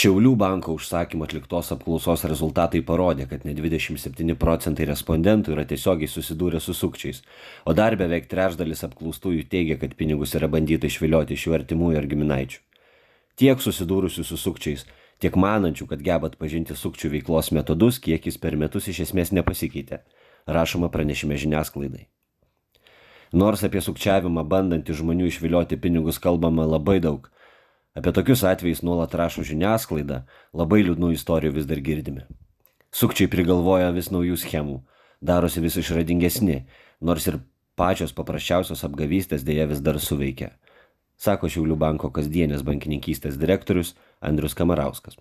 Šiaulių banko užsakymu atliktos apklausos rezultatai parodė, kad net 27% respondentų yra tiesiogiai susidūrę su sukčiais, o dar beveik trečdalis apklaustųjų teigia, kad pinigus yra bandyta išvilioti iš jų artimųjų ar giminaičių. Tiek susidūrusių su sukčiais, tiek manančių, kad geba atpažinti sukčių veiklos metodus, kiekis per metus iš esmės nepasikeitė, rašoma pranešime žiniasklaidai. Nors apie sukčiavimą bandantį žmonių išvilioti pinigus kalbama labai daug, apie tokius atvejus nuolat rašo žiniasklaida, labai liūdnų istorijų vis dar girdime. Sukčiai prigalvoja vis naujų schemų, darosi vis išradingesni, nors ir pačios paprasčiausios apgavystės dėja vis dar suveikia, sako Šiaulių banko kasdienės bankininkystės direktorius Andrius Kamarauskas.